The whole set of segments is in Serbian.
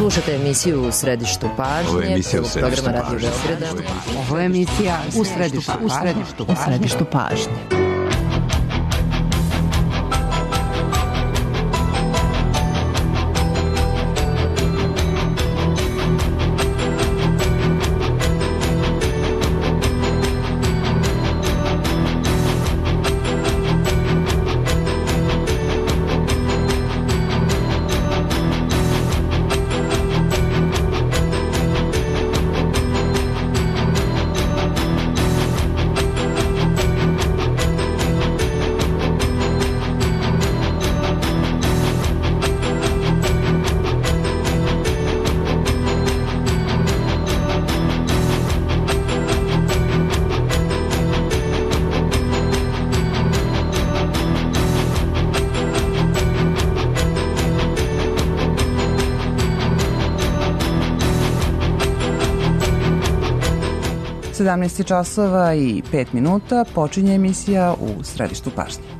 Slušate emisiju U središtu pažnje, programa Radio Beograda. Ovo je emisija U središtu pažnje. časova i 5 minuta počinje emisija U središtu pažnje.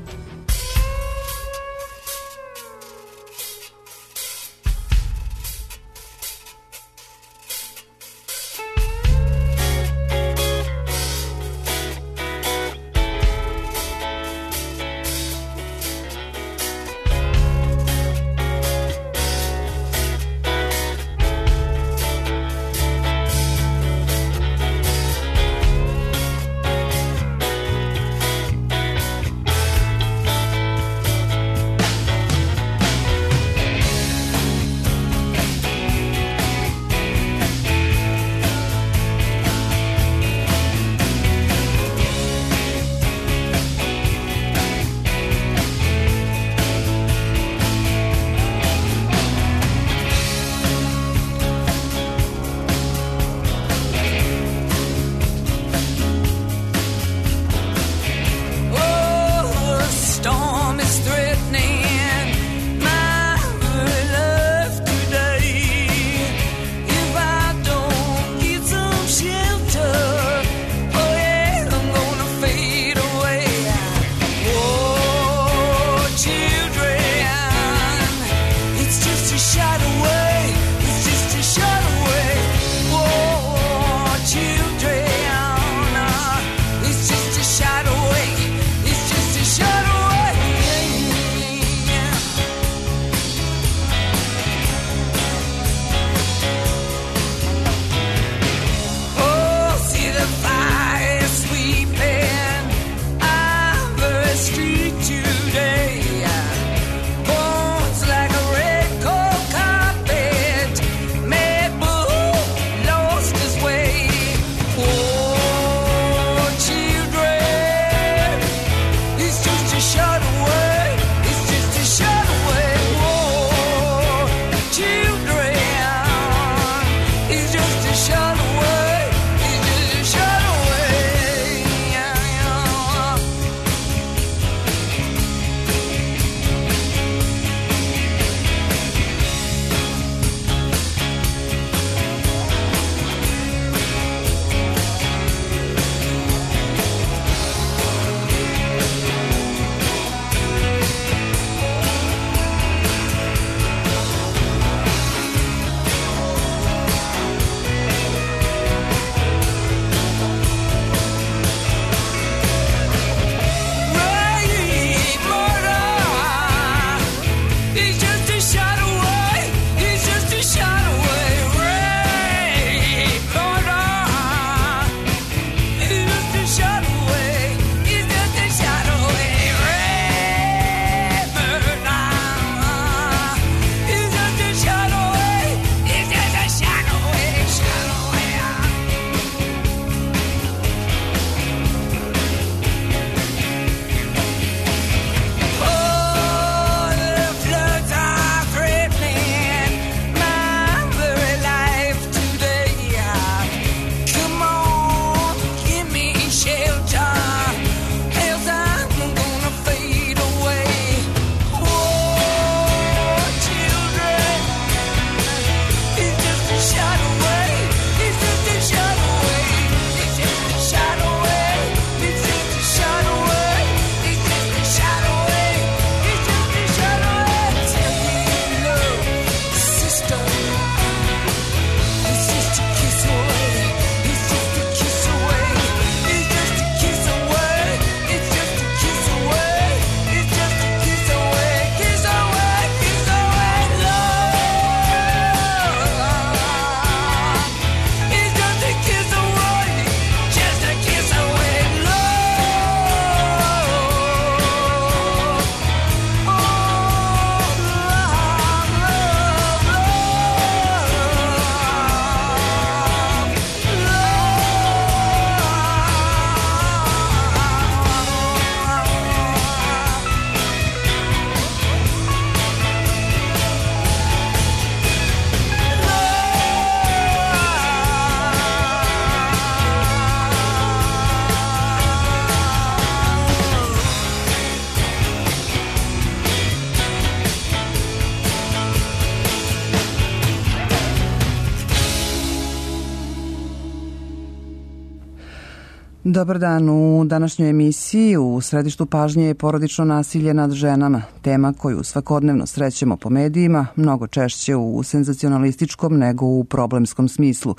Dobar dan. U današnjoj emisiji u središtu pažnje je porodično nasilje nad ženama, tema koju svakodnevno srećemo po medijima, mnogo češće u senzacionalističkom nego u problemskom smislu.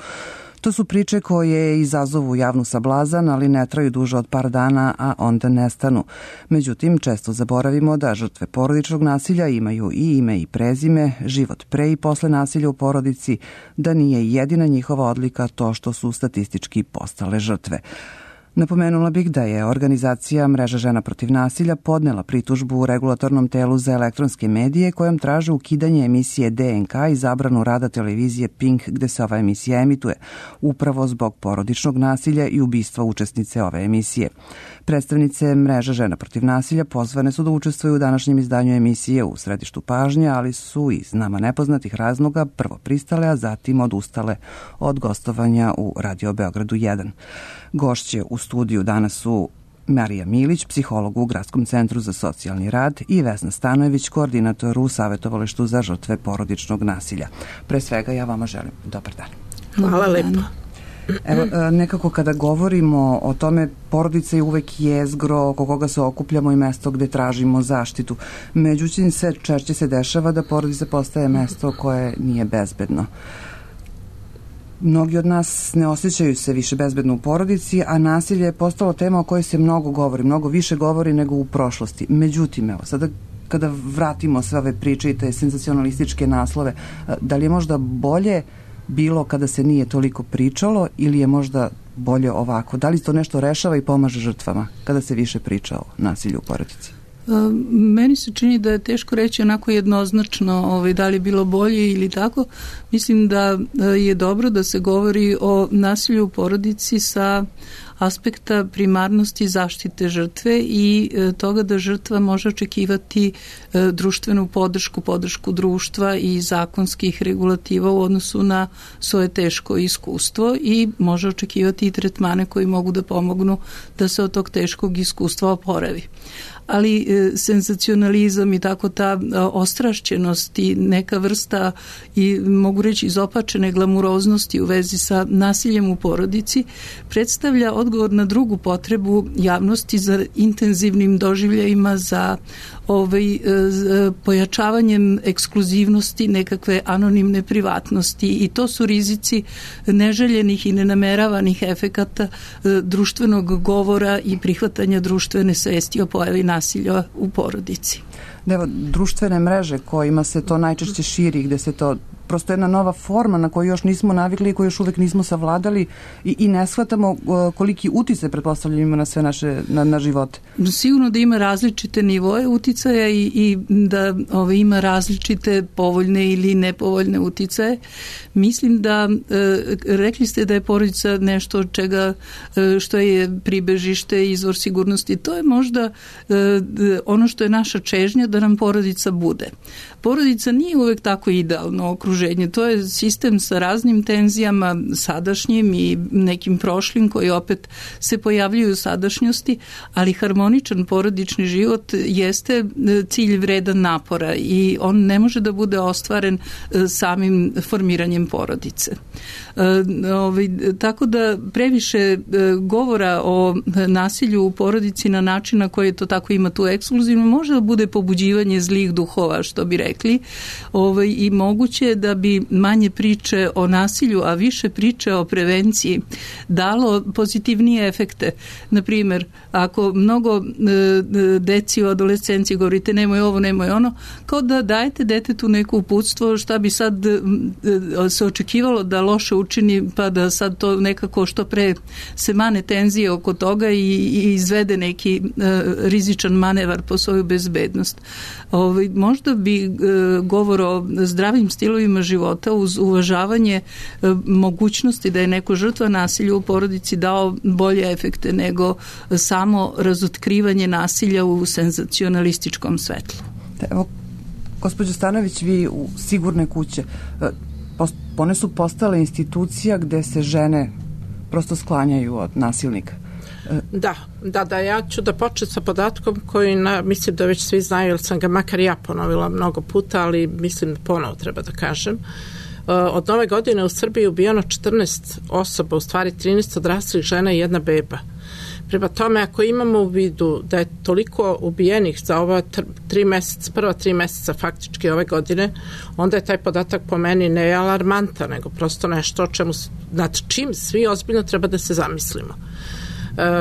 To su priče koje izazovu javnu sablazan, ali ne traju duže od par dana, a onda nestanu. Međutim, često zaboravimo da žrtve porodičnog nasilja imaju i ime i prezime, život pre i posle nasilja u porodici, da nije jedina njihova odlika to što su statistički postale žrtve. Napomenula bih da je organizacija Mreža žena protiv nasilja podnela pritužbu u regulatornom telu za elektronske medije kojom traže ukidanje emisije DNK i zabranu rada televizije Pink gde se ova emisija emituje, upravo zbog porodičnog nasilja i ubistva učesnice ove emisije. Predstavnice Mreža žena protiv nasilja pozvane su da učestvuju u današnjem izdanju emisije u središtu pažnje, ali su iz nama nepoznatih razloga prvo pristale, a zatim odustale od gostovanja u Radio Beogradu 1. Gošće u studiju danas su Marija Milić, psiholog u Gradskom centru za socijalni rad, i Vesna Stanojević, koordinator u Savjetovalištu za žrtve porodičnog nasilja. Pre svega ja vama želim dobar dan. Hvala lepo. Evo, nekako kada govorimo o tome, porodica je uvek jezgro oko koga se okupljamo i mesto gde tražimo zaštitu. Međutim, sve češće se dešava da porodica postaje mesto koje nije bezbedno. Mnogi od nas ne osjećaju se više bezbedno u porodici, a nasilje je postalo tema o kojoj se mnogo govori, mnogo više govori nego u prošlosti. Međutim, evo, sada kada vratimo sve ove priče i te senzacionalističke naslove, da li je možda bolje bilo kada se nije toliko pričalo ili je možda bolje ovako? Da li to nešto rešava i pomaže žrtvama kada se više priča o nasilju u porodici? Meni se čini da je teško reći onako jednoznačno da li je bilo bolje ili tako. Mislim da je dobro da se govori o nasilju u porodici sa aspekta primarnosti zaštite žrtve i toga da žrtva može očekivati društvenu podršku društva i zakonskih regulativa u odnosu na svoje teško iskustvo i može očekivati i tretmane koji mogu da pomognu da se od tog teškog iskustva oporavi. Ali senzacionalizam i tako ta ostrašćenost i neka vrsta i mogu reći izopačene glamuroznosti u vezi sa nasiljem u porodici predstavlja odgovor na drugu potrebu javnosti za intenzivnim doživljajima, za pojačavanjem ekskluzivnosti, nekakve anonimne privatnosti, i to su rizici neželjenih i nenameravanih efekata društvenog govora i prihvatanja društvene svesti o pojavi nasilja u porodici. Evo, društvene mreže kojima se to najčešće širi, gde se to prosto jedna nova forma na koju još nismo navikli i koju još uvek nismo savladali i ne shvatamo koliki uticaj pretpostavljamo ima na sve na živote. Sigurno da ima različite nivoje uticaja i da ima različite povoljne ili nepovoljne uticaje. Mislim da rekli ste da je porodica nešto što je pribežište, izvor sigurnosti. To je možda ono što je naša čežnja, da nam porodica bude. Porodica nije uvek tako idealno okruženje. To je sistem sa raznim tenzijama, sadašnjim i nekim prošlim koji opet se pojavljuju u sadašnjosti, ali harmoničan porodični život jeste cilj vredan napora i on ne može da bude ostvaren samim formiranjem porodice. Tako da previše govora o nasilju u porodici na način na koji to tako ima tu ekskluzivno može da bude pobuđivanje zlih duhova, što bi rekli, i moguće je da bi manje priče o nasilju, a više priče o prevenciji dalo pozitivnije efekte. Naprimjer, ako mnogo deci u adolescenciji govorite nemoj ovo, nemoj ono, kao da dajete detetu neko uputstvo šta bi sad se očekivalo da loše učini, pa da sad to nekako što pre se mane tenzije oko toga i izvede neki rizičan manevar po svoju bezbednost. Možda bi govor o zdravim stilovima života uz uvažavanje mogućnosti da je neko žrtva nasilja u porodici dao bolje efekte nego samo razotkrivanje nasilja u senzacionalističkom svetlu. Evo, gospođo Stanojević, vi u Sigurne kuće, one su postale institucija gde se žene prosto sklanjaju od nasilnika. Da, ja ću da počnem sa podatkom koji mislim da već svi znaju, jer sam ga makar ja ponovila mnogo puta, ali mislim da ponovo treba da kažem. Od nove godine u Srbiji ubijeno 14 osoba, u stvari 13 odraslih žena i jedna beba. Prema tome, ako imamo u vidu da je toliko ubijenih za ova prva 3 meseca faktički ove godine, onda je taj podatak po meni ne alarmantan, nego prosto nešto nad čim svi ozbiljno treba da se zamislimo.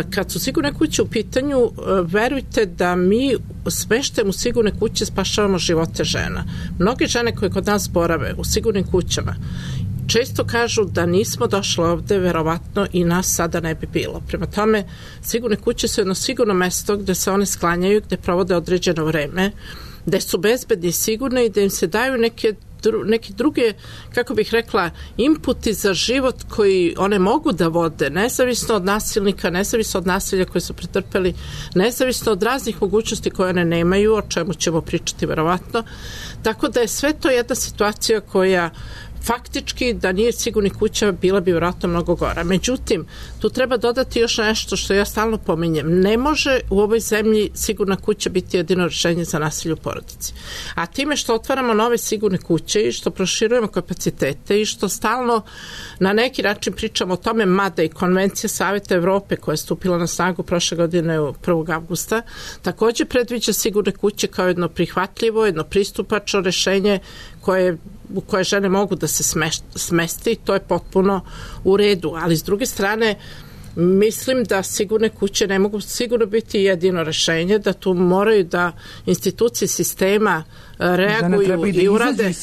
Kad su sigurne kuće u pitanju, verujte da mi smeštajem u sigurne kuće spašavamo živote žena. Mnoge žene koje kod nas borave u sigurnim kućama često kažu da nismo došli ovde, verovatno i nas sada ne bi bilo. Prema tome, sigurne kuće su jedno sigurno mesto gde se one sklanjaju, gde provode određeno vreme, gde su bezbedni i sigurne i da im se daju neke druge, kako bih rekla, inputi za život koji one mogu da vode, nezavisno od nasilnika, nezavisno od nasilja koje su pretrpeli, nezavisno od raznih mogućnosti koje one nemaju, o čemu ćemo pričati verovatno. Tako da je sve to jedna situacija koja faktički da nije sigurnih kuća bila bi vjerojatno mnogo gora. Međutim, tu treba dodati još nešto što ja stalno pominjem. Ne može u ovoj zemlji sigurna kuća biti jedino rješenje za nasilje u porodici. A time što otvaramo nove sigurne kuće i što proširujemo kapacitete i što stalno na neki način pričamo o tome, mada i Konvencija Saveta Evrope koja je stupila na snagu prošle godine 1. avgusta, također predviđa sigurne kuće kao jedno prihvatljivo, jedno pristupačno rješenje u koje žene mogu da se smesti i to je potpuno u redu. Ali s druge strane, mislim da sigurne kuće ne mogu sigurno biti jedino rješenje, da tu moraju da institucije sistema reaguju i urade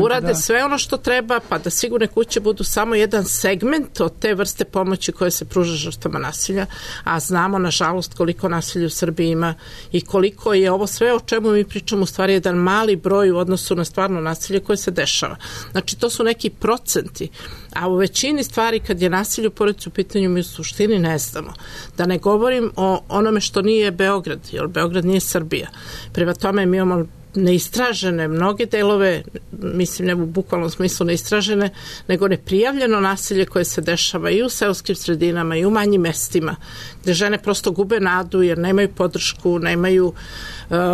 urade sve ono što treba, pa da sigurne kuće budu samo jedan segment od te vrste pomoći koje se pruža žrtvama nasilja, a znamo nažalost koliko nasilja u Srbiji ima i koliko je ovo sve o čemu mi pričamo u stvari jedan mali broj u odnosu na stvarno nasilje koje se dešava. Znači to su neki procenti, a u većini stvari kad je nasilje u porodici u pitanju mi u suštini ne znamo. Da ne govorim o onome što nije Beograd, jer Beograd nije Srbija. Prema tome mi imamo neistražene mnoge delove, mislim ne u bukvalnom smislu neistražene, nego neprijavljeno nasilje koje se dešava i u seoskim sredinama i u manjim mestima, gde žene prosto gube nadu jer nemaju podršku, nemaju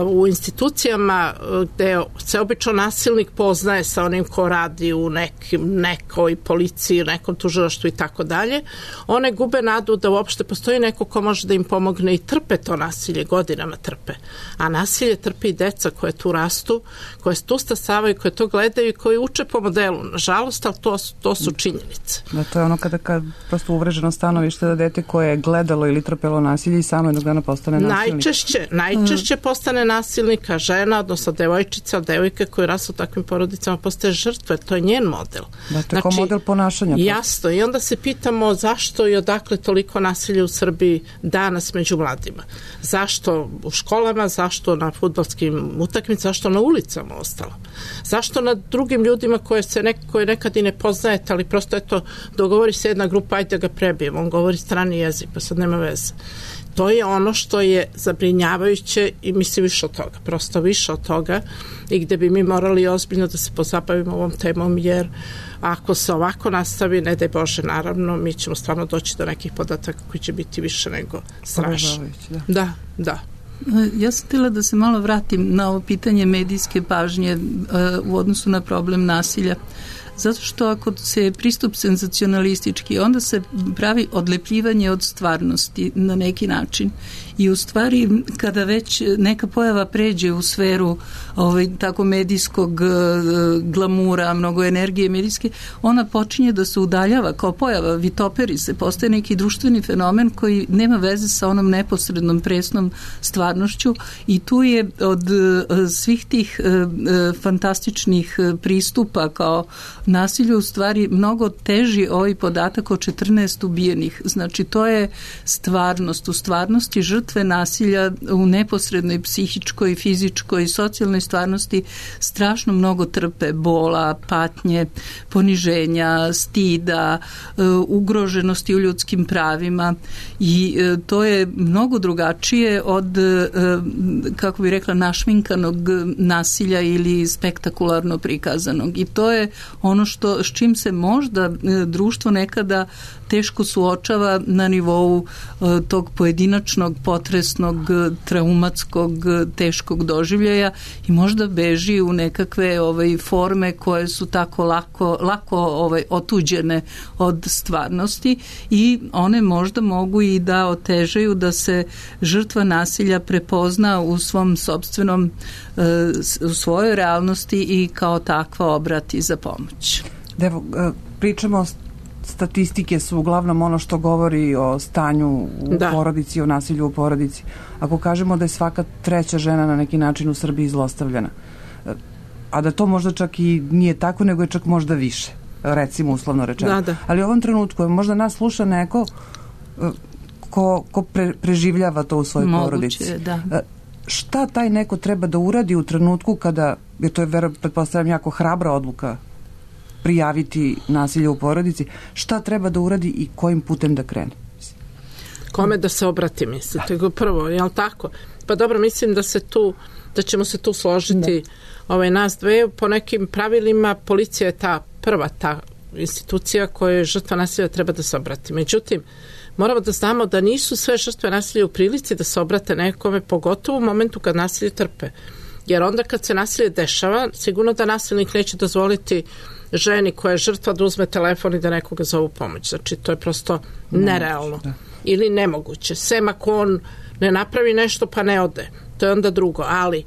u institucijama gde se obično nasilnik poznaje sa onim ko radi u nekoj policiji, nekom tužilaštvu i tako dalje. One gube nadu da uopšte postoji neko ko može da im pomogne i trpe to nasilje, godinama trpe. A nasilje trpi i deca koje tu rastu, koje tu stasavaju, koje to gledaju i koji uče po modelu. Nažalost, ali to su činjenice. Da, to je ono kada prosto uvreženo stanovište da dete koje je gledalo ili trpelo nasilje i samo jednog dana postane nasilnik. Najčešće postane nasilnika žena, odnosno devojčica, devojka koja rastu u takvim porodicama postaje žrtva, to je njen model. Da, to je kao model ponašanja. Jasno, i onda se pitamo zašto i odakle toliko nasilja u Srbiji danas među mladima. Zašto u školama, zašto na fudbalskim utakmicama, zašto na ulicama ostalo? Zašto na drugim ljudima koje nekad i ne poznajete, ali prosto eto, dogovori se jedna grupa, ajde da ga prebijemo, on govori strani jezik, pa sad nema veze. To je ono što je zabrinjavajuće i mislim više od toga, prosto više od toga i gde bi mi morali ozbiljno da se pozabavimo ovom temom, jer ako se ovako nastavi, ne daj Bože, naravno, mi ćemo stvarno doći do nekih podataka koji će biti više nego strašni. Da. Ja sam htjela da se malo vratim na ovo pitanje medijske pažnje u odnosu na problem nasilja. Zato što ako se pristup senzacionalistički, onda se pravi odlepljivanje od stvarnosti na neki način. I u stvari, kada već neka pojava pređe u sferu tako medijskog glamura, mnogo energije medijske, ona počinje da se udaljava kao pojava, vitoperi se, postaje neki društveni fenomen koji nema veze sa onom neposrednom presnom stvarnošću i tu je od svih tih fantastičnih pristupa kao nasilju u stvari mnogo teži ovaj podatak o 14 ubijenih. Znači to je stvarnost. U stvarnosti žrtve nasilja u neposrednoj psihičkoj, fizičkoj i socijalnoj stvarnosti strašno mnogo trpe bola, patnje, poniženja, stida, ugroženosti u ljudskim pravima i to je mnogo drugačije od, kako bi rekla, našminkanog nasilja ili spektakularno prikazanog. I to je ono s čim se možda društvo nekada teško suočava na nivou tog pojedinačnog, potresnog, traumatskog, teškog doživljaja i možda beži u nekakve forme koje su tako lako otuđene od stvarnosti i one možda mogu i da otežaju da se žrtva nasilja prepozna u svom sopstvenom, u svojoj realnosti i kao takva obrati za pomoć. Evo, pričamo, statistike su uglavnom ono što govori o stanju u porodici, o nasilju u porodici. Ako kažemo da je svaka treća žena na neki način u Srbiji zlostavljana, a da to možda čak i nije tako, nego je čak možda više, recimo uslovno rečeno. Ali u ovom trenutku možda nas sluša neko ko preživljava to u svojoj porodici. Šta taj neko treba da uradi u trenutku kada, jer to je, pretpostavljam, jako hrabra odluka prijaviti nasilje u porodici, šta treba da uradi i kojim putem da krene? Kome da se obrati, mislite? Prvo, je li tako? Pa dobro, mislim da ćemo se tu složiti nas dve. Po nekim pravilima policija je ta prva institucija koja žrtva nasilja treba da se obrati. Međutim, moramo da znamo da nisu sve žrtve nasilja u prilici da se obrate nekome, pogotovo u momentu kad nasilje trpe. Jer onda kad se nasilje dešava, sigurno da nasilnik neće dozvoliti ženi koja je žrtva da uzme telefon i da nekoga zovu pomoć. Znači, to je prosto nerealno. Ili nemoguće. Sem ako on ne napravi nešto pa ne ode. To je onda drugo. Ali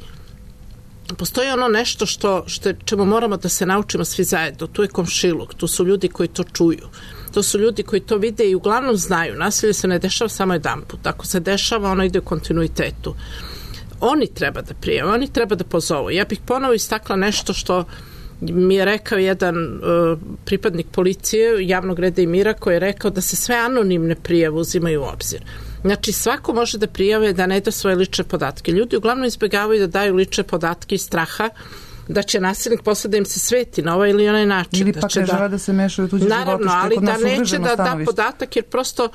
postoji ono nešto čemu moramo da se naučimo svi zajedno. Tu je komšiluk. Tu su ljudi koji to čuju. To su ljudi koji to vide i uglavnom znaju. Nasilje se ne dešava samo jedanput. Ako se dešava, ono ide u kontinuitetu. Oni treba da prijave, oni treba da pozovu. Ja bih ponovo istakla nešto što mi je rekao jedan pripadnik policije javnog reda i mira, koji je rekao da se sve anonimne prijave uzimaju u obzir. Znači, svako može da prijave da ne da svoje lične podatke. Ljudi uglavnom izbjegavaju da daju lične podatke iz straha da će nasilnik posle da im se sveti na ovaj ili onaj način. Ili pak ne žele da se mešaju u tuđe živote. Naravno, ali da neće da da podatak, jer prosto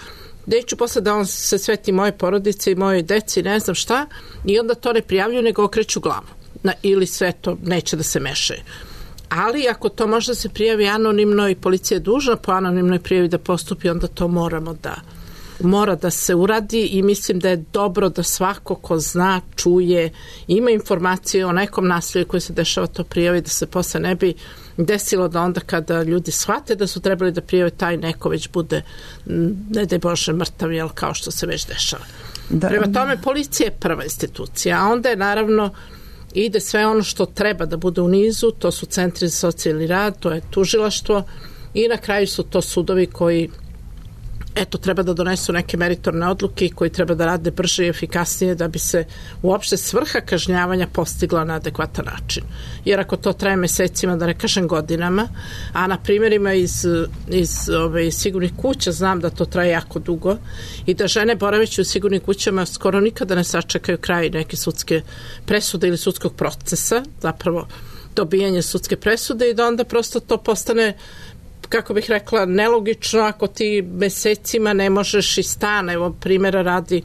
neću posle da on se sveti moje porodice i moje deci, ne znam šta, i onda to ne prijavljuju, nego okreću glavu. Ili sve to neće da se mešaju. Ali ako to može da se prijavi anonimno i policija je dužna po anonimnoj prijavi da postupi, onda to mora da se uradi i mislim da je dobro da svako ko zna, čuje, ima informacije o nekom nasilju koji se dešava to prijavi, da se posle ne bi desilo da onda kada ljudi shvate da su trebali da prijave, taj neko već bude, ne daj Bože, mrtav, jel, kao što se već dešava. Prema tome, policija je prva institucija, a onda je naravno ide sve ono što treba da bude u nizu, to su centri za socijalni rad, to je tužilaštvo i na kraju su to sudovi koji treba da donesu neke meritorne odluke i koji treba da rade brže i efikasnije da bi se uopšte svrha kažnjavanja postigla na adekvatan način. Jer ako to traje mesecima, da ne kažem godinama, a na primjerima iz sigurnih kuća znam da to traje jako dugo i da žene boraveći u sigurnim kućama skoro nikada ne sačekaju kraj neke sudske presude ili sudskog procesa, zapravo dobijanje sudske presude, i da onda prosto to postane, kako bih rekla, nelogično ako ti mesecima ne možeš iz stana. Evo, primjera radi,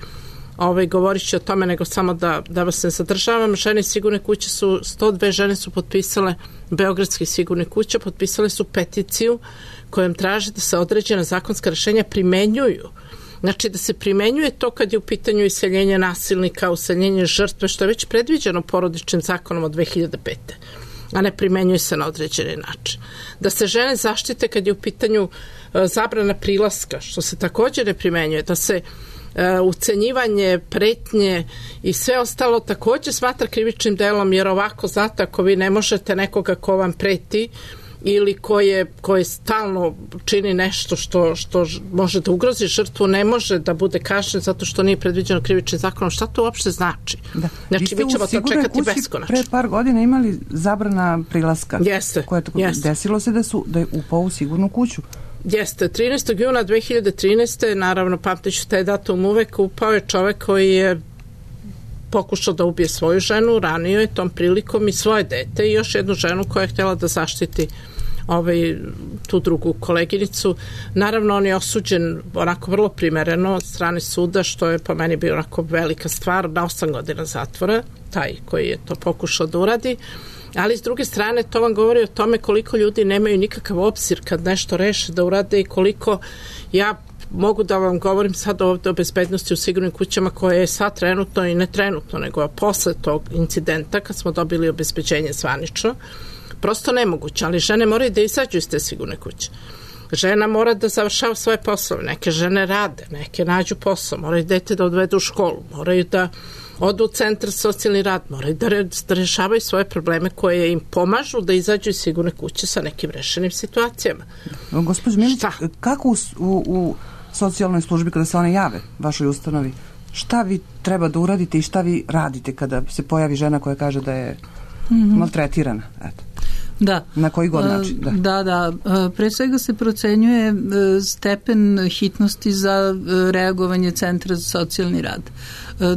govorit ću o tome, nego samo da vas ne zadržavam. Žene sigurne kuće 102 žene su potpisale, beogradske sigurne kuće, potpisale su peticiju kojom traže da se određena zakonska rešenja primenjuju. Znači, da se primenjuje to kad je u pitanju iseljenje nasilnika, useljenje žrtve, što je već predviđeno porodičnim zakonom od 2005. a ne primenjuje se na određeni način. Da se žene zaštite kad je u pitanju zabrana prilaska, što se također ne primenjuje, da se ucenjivanje, pretnje i sve ostalo također smatra krivičnim delom, jer ovako, znate, ako vi ne možete nekoga ko vam preti ili koje stalno čini nešto što može da ugrozi žrtvu, ne može da bude kažnjen zato što nije predviđeno krivičnim zakonom. Šta to uopšte znači? Da. Znači, mi ćemo to čekati beskonačno. Pre par godina imali zabrana prilaska. Jeste. Desilo se da je upao u sigurnu kuću. Jeste. 13. juna 2013. naravno, pamtiću taj datum uvek, upao je čovek koji je pokušao da ubije svoju ženu, ranio je tom prilikom i svoje dete i još jednu ženu koja je htjela da zaštiti tu drugu koleginicu. Naravno, on je osuđen onako vrlo primereno od strane suda, što je po meni bio onako velika stvar, na 8 godina zatvora, taj koji je to pokušao da uradi. Ali s druge strane to vam govori o tome koliko ljudi nemaju nikakav obzir kad nešto reše da urade i koliko ja mogu da vam govorim sad ovde o bezbednosti u sigurnim kućama koje je sad trenutno i ne trenutno, nego posle tog incidenta kad smo dobili obezbeđenje zvanično, prosto nemoguće, ali žene moraju da izađu iz te sigurne kuće. Žena mora da završava svoje poslove, neke žene rade, neke nađu posao, moraju dete da odvedu u školu, moraju da odu u centar za socijalni rad, moraju da rešavaju svoje probleme koje im pomažu da izađu iz sigurne kuće sa nekim rešenim situacijama. Gospođo Milić, kako u socijalnoj službi kada se one jave vašoj ustanovi, šta vi treba da uradite i šta vi radite kada se pojavi žena koja kaže da je maltretirana? Eto. Da. Na koji god način? Da. Pre svega se procenjuje stepen hitnosti za reagovanje Centra za socijalni rad.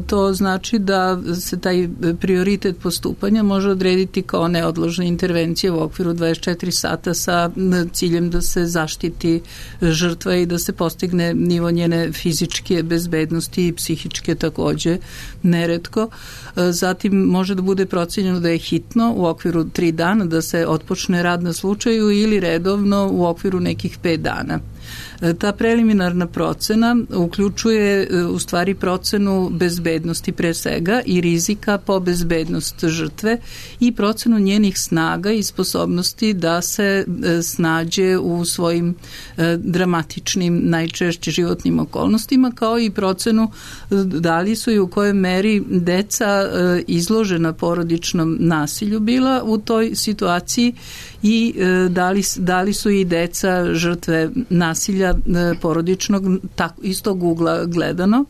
To znači da se taj prioritet postupanja može odrediti kao neodložna intervencija u okviru 24 sata sa ciljem da se zaštiti žrtva i da se postigne nivo njene fizičke bezbednosti i psihičke takođe neretko. Zatim može da bude procenjeno da je hitno u okviru 3 dana da se otpočne rad na slučaju ili redovno u okviru nekih 5 dana. Ta preliminarna procena uključuje u stvari procenu bezbednosti pre svega i rizika po bezbednost žrtve i procenu njenih snaga i sposobnosti da se snađe u svojim dramatičnim, najčešće životnim okolnostima, kao i procenu da li su i u kojoj meri deca izložena porodičnom nasilju bila u toj situaciji i da li su i deca žrtve nasilja porodičnog iz tog ugla gledano.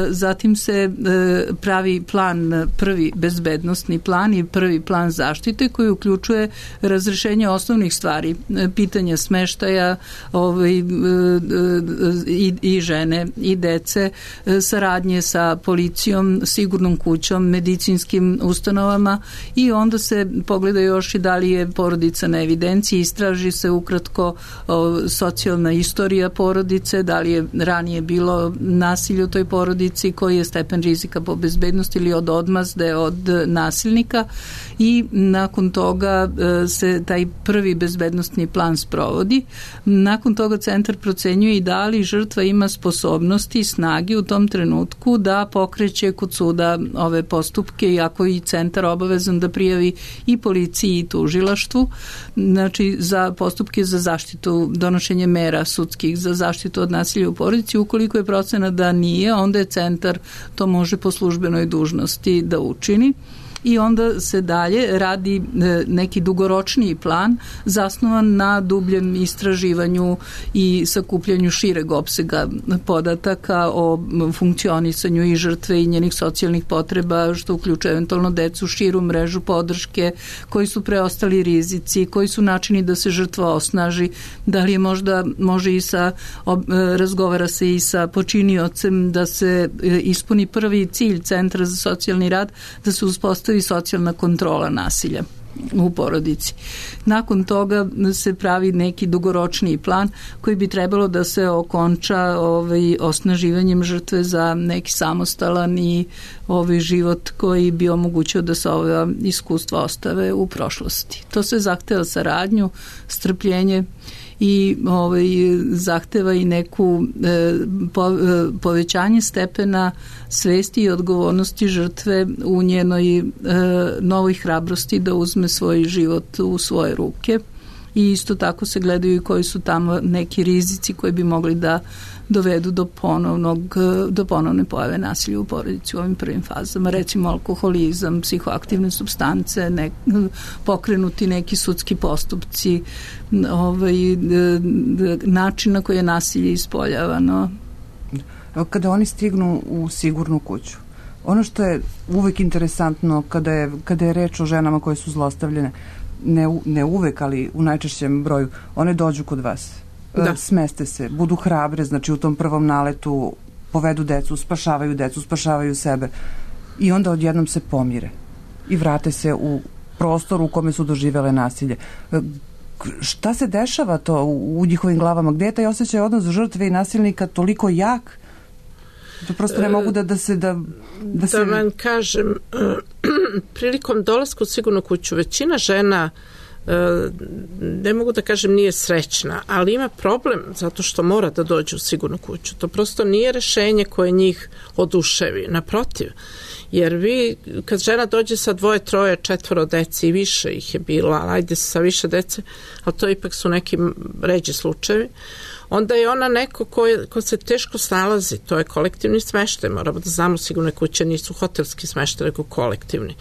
Zatim se pravi plan, prvi bezbednostni plan i prvi plan zaštite koji uključuje razrešenje osnovnih stvari, pitanja smeštaja i žene i dece, saradnje sa policijom, sigurnom kućom, medicinskim ustanovama i onda se pogleda još i da li je porodica na evidenciji, istraži se ukratko socijalna istorija porodice, da li je ranije bilo nasilje u toj porodici, koji je stepen rizika po bezbednosti ili od odmazde od nasilnika i nakon toga se taj prvi bezbednostni plan sprovodi. Nakon toga centar procenjuje i da li žrtva ima sposobnosti i snage u tom trenutku da pokreće kod suda ove postupke, iako i centar obavezan da prijavi i policiji i tužilaštvu, znači za postupke za zaštitu, donošenje mera sudskih za zaštitu od nasilja u porodici. Ukoliko je procena da nije, onda je centar to može po službenoj dužnosti da učini. I onda se dalje radi neki dugoročniji plan zasnovan na dubljem istraživanju i sakupljanju šireg opsega podataka o funkcionisanju i žrtve i njenih socijalnih potreba, što uključuje eventualno decu, širu mrežu podrške, koji su preostali rizici, koji su načini da se žrtva osnaži, da li je možda može i sa razgovara se i sa počiniocem da se ispuni prvi cilj Centra za socijalni rad, da se uspostavi socijalna kontrola nasilja u porodici. Nakon toga se pravi neki dugoročniji plan koji bi trebalo da se okonča osnaživanjem žrtve za neki samostalan i život koji bi omogućio da se ova iskustva ostave u prošlosti. To se zahteva saradnju, strpljenje i zahteva i neku povećanje stepena svesti i odgovornosti žrtve u njenoj novoj hrabrosti da uzme svoj život u svoje ruke i isto tako se gledaju i koji su tamo neki rizici koji bi mogli da dovedu do ponovne pojave nasilja u porodici u ovim prvim fazama, recimo alkoholizam, psihoaktivne supstance, pokrenuti neki sudski postupci, način na koji je nasilje ispoljavano. Kada oni stignu u sigurnu kuću, ono što je uvek interesantno kada je reč o ženama koje su zlostavljene, ne uvek, ali u najčešćem broju, one dođu kod vas. Da. Smeste se, budu hrabre, znači u tom prvom naletu povedu decu, spašavaju sebe i onda odjednom se pomire i vrate se u prostor u kome su doživele nasilje. Šta se dešava to u njihovim glavama? Gde je taj osjećaj odnos žrtve i nasilnika toliko jak? To prosto ne mogu da se... Da vam kažem, prilikom dolaska u sigurnu kuću, većina žena, ne mogu da kažem nije srećna, ali ima problem zato što mora da dođe u sigurnu kuću. To prosto nije rešenje koje njih oduševi. Naprotiv, jer vi, kad žena dođe sa 2, 3, 4 dece i više ih je bilo, ali ajde sa više dece, ali to ipak su neki ređi slučajevi, onda je ona neko ko se teško snalazi. To je kolektivni smeštaj. Moramo da znamo, sigurne kuće nisu hotelski smeštaj, nego kolektivni.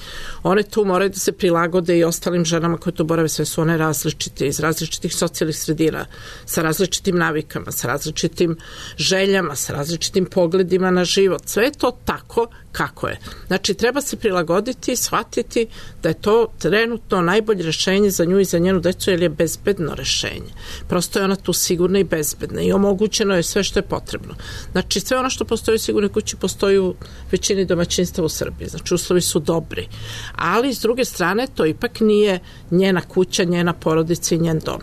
One tu moraju da se prilagode i ostalim ženama koje tu borave. Sve su one različite, iz različitih socijalnih sredina, sa različitim navikama, sa različitim željama, sa različitim pogledima na život. Sve je to tako kako je. Znači, treba se prilagoditi i shvatiti da je to trenutno najbolje rešenje za nju i za njenu decu, jer je bezbedno rešenje. Prosto je ona tu sigurna i bezbedna i omogućeno je sve što je potrebno. Znači, sve ono što postoji u sigurnoj kući postoji u većini domaćinstva u Srbiji. Znači, uslovi su dobri. Ali, s druge strane, to ipak nije njena kuća, njena porodica i njen dom.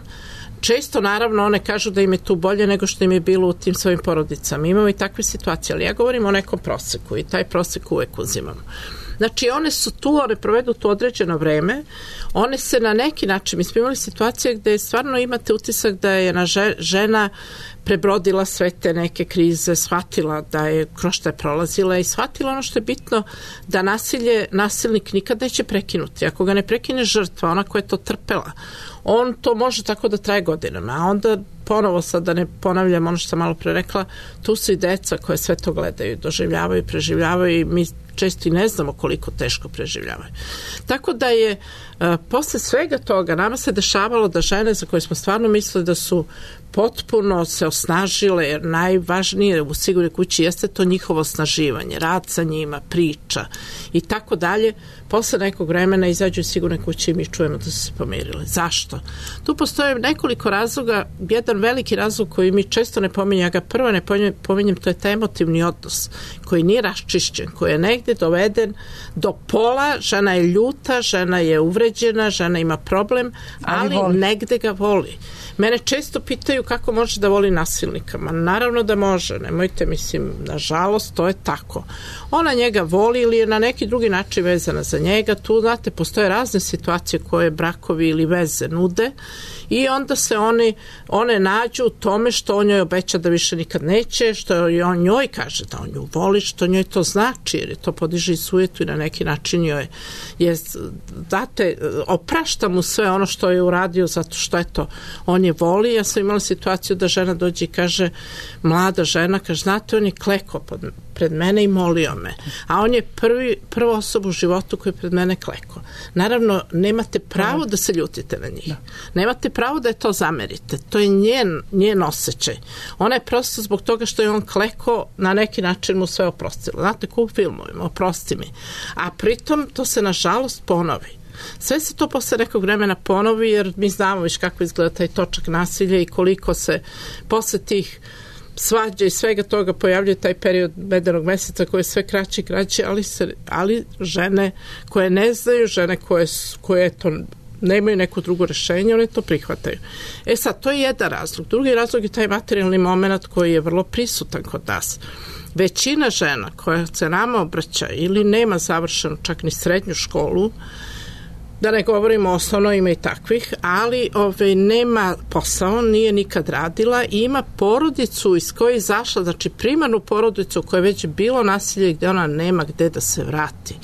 Često, naravno, one kažu da im je tu bolje nego što im je bilo u tim svojim porodicama. Imamo i takve situacije, ali ja govorim o nekom proseku i taj prosek uvek uzimamo. Znači, one su tu, one provedu tu određeno vreme, one se na neki način, mi smo imali situacije gde stvarno imate utisak da je žena prebrodila sve te neke krize, shvatila da je kroz što je prolazila i shvatila ono što je bitno, da nasilnik nikad neće prekinuti. Ako ga ne prekine žrtva, ona koja je to trpela, on to može tako da traje godinama, a onda ponovo sad da ne ponavljam ono što sam malo pre rekla, tu su i deca koje sve to gledaju, doživljavaju, preživljavaju i mi često i ne znamo koliko teško preživljavaju. Tako da je posle svega toga nama se dešavalo da žene za koje smo stvarno mislili da su potpuno se osnažile, jer najvažnije u sigurnoj kući jeste to njihovo osnaživanje, rad sa njima, priča i tako dalje. Posle nekog vremena izađu iz sigurne kuće i mi čujemo da su se pomirile. Zašto? Tu postoje nekoliko razloga. Jedan veliki razlog koji mi često ne pominjem, ja ga prvo ne pominjem, to je taj emotivni odnos koji nije raščišćen, koji je negde doveden do pola, žena je ljuta, žena je uvređena, žena ima problem, ali negde ga voli. Mene često pitaju kako može da voli nasilnika. Ma naravno da može, nemojte, mislim, nažalost, to je tako. Ona njega voli ili je na neki drugi način vezana za njega. Tu, znate, postoje razne situacije koje brakovi ili veze nude i onda se one nađu u tome što on njoj obeća da više nikad neće, što on njoj kaže da on nju voli, što njoj to znači, jer je to podiže i sujetu i na neki način joj date, oprašta mu sve ono što je uradio zato što eto, on je voli. Ja sam imala situaciju da žena dođe i kaže, mlada žena, kaže, znate, on je klekao pred mene i molio me, a on je prva osoba u životu koji je pred mene klekao. Naravno, nemate pravo da se ljutite na njih. Nemate pravo da je to zamerite. To je njen osjećaj. Ona je prosto zbog toga što je on klekao, na neki način mu sve oprostila. Znate, ko u filmovima, oprosti mi. A pritom to se nažalost ponovi. Sve se to posle nekog vremena ponovi, jer mi znamo viš kako izgleda taj točak nasilja i koliko se posle tih svađa i svega toga pojavljuje taj period medenog meseca koji je sve kraći i kraći, ali žene koje ne znaju, žene koje to nemaju neko drugo rešenje, one to prihvataju. Sad, to je jedan razlog. Drugi razlog je taj materijalni moment koji je vrlo prisutan kod nas. Većina žena koja se nama obraća ili nema završenu čak ni srednju školu, da ne govorimo o osnovno, ima i takvih, ali nema posao, nije nikad radila i ima porodicu iz koje je izašla, znači primarnu porodicu koja je već bilo nasilje gde ona nema gde da se vrati.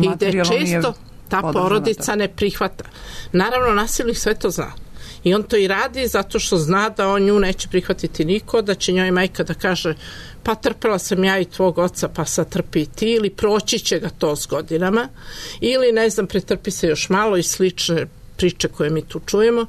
I gde često ta porodica ne prihvata. Naravno, nasilnik sve to zna. I on to i radi zato što zna da on nju neće prihvatiti niko, da će njoj majka da kaže pa trpela sam ja i tvog oca, pa sad trpi i ti, ili proći će ga to s godinama, ili ne znam, pretrpi se još malo i slične priče koje mi tu čujemo.